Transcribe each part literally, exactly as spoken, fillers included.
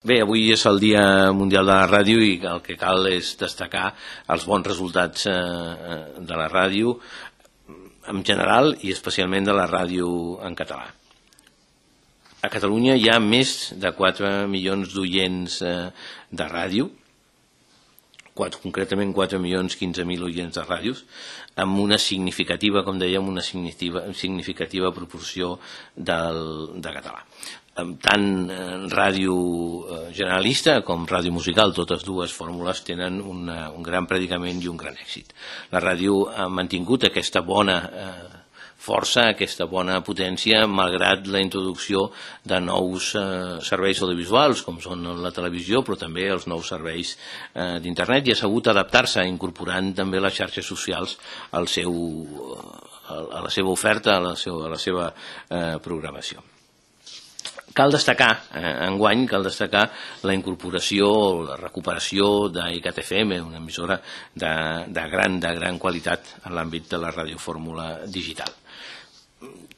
Bé, avui és el Dia Mundial de la Ràdio i el que cal és destacar els bons resultats de la ràdio en general i especialment de la ràdio en català. A Catalunya hi ha més de quatre milions d'oients de ràdio, concretament quatre milions quinze mil oients de ràdios, amb una significativa, com dèiem, una significativa proporció de català. Tant ràdio generalista com ràdio musical, totes dues fórmules tenen un gran predicament i un gran èxit. La ràdio ha mantingut aquesta bona força, aquesta bona potència, malgrat la introducció de nous serveis audiovisuals, com són la televisió, però també els nous serveis d'internet, i ha sabut adaptar-se, incorporant també les xarxes socials a la seva oferta, a la seva programació. Cal destacar, enguany, cal destacar la incorporació o la recuperació d'I C A T F M, una emissora de gran qualitat en l'àmbit de la radiofórmula digital.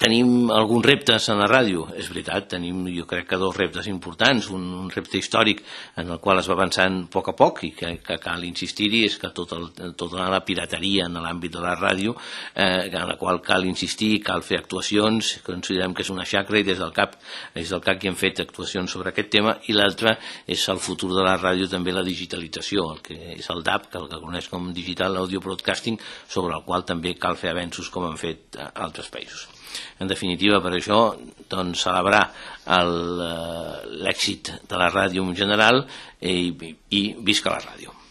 Tenim alguns reptes en la ràdio, és veritat, tenim jo crec que dos reptes importants, un repte històric en el qual es va avançant a poc a poc i que cal insistir-hi, és que tota la pirateria en l'àmbit de la ràdio, en la qual cal insistir, cal fer actuacions, considerem que és una xacra i des del CAP des del CAC hi hem fet actuacions sobre aquest tema, i l'altre és el futur de la ràdio, també la digitalització, el que és el D A B, que el que coneix com Digital Audio Broadcasting, sobre el qual també cal fer avenços com han fet altres països. En definitiva, per això, celebrar l'èxit de la ràdio en general i visca la ràdio.